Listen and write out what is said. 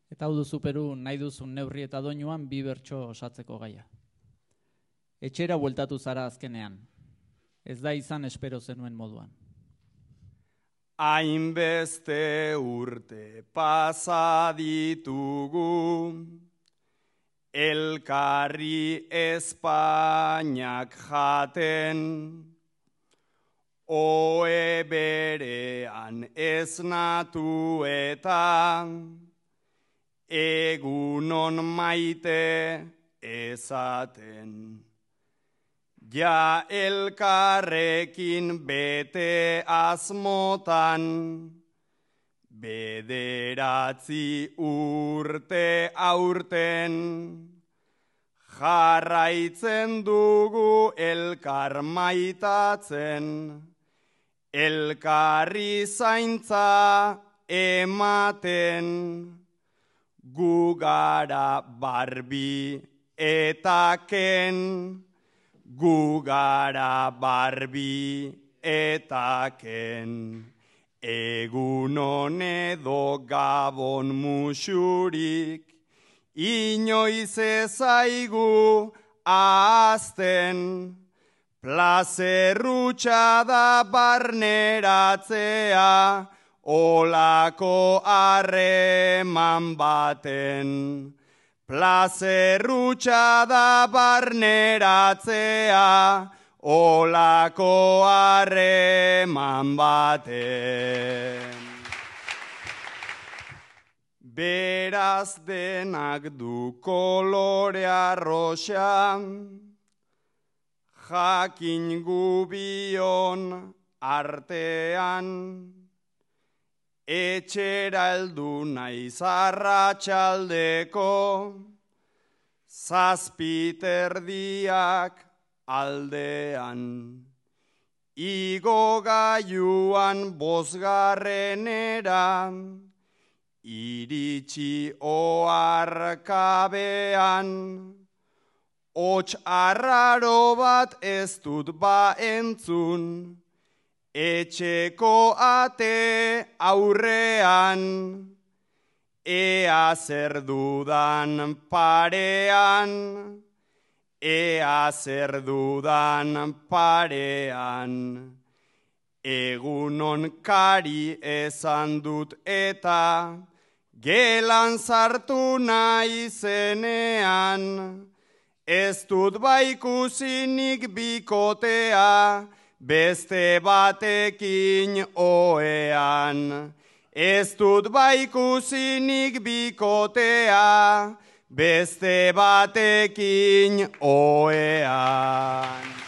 Eta hau duzu Peru nahi duzun neurri eta doinuan bi bertso osatzeko gaia. Etxera bueltatu zara azkenean. Ez da izan espero zenuen moduan. Hainbeste urte pasa ditugu, elkarri Espainiak jaten, ohe berean esnatu eta egunon maite ezaten. Ja elkarrekin bete asmotan, bederatzi urte aurten, jarraitzen dugu elkar maitatzen, elkarri zaintza ematen, gu gara Barbi eta Ken, gu gara Barbi eta Ken. Egunon edo gabon musurik, inoiz ezaigu ahazten, plazerrutxa da barneratzea, olako harreman baten. Plazerrutxa da barneratzea, olako harreman baten. Beraz denak du kolorea roxa, jakin gubion artean, etxera heldu naiz arratsaldeko, zazpiterdiak aldean. Igo gailuan bosgarrenera, iritsi oarkabean, hots arraro bat ez dut ba entzun, etxeko ate aurrean, ea zer dudan parean, ea zer dudan parean. Egunon kari esan dut eta gelan sartu nahi zenean, ez dut baikusinik bikotea, beste batekin ohean. Ez dut baikusinik bikotea, beste batekin ohean.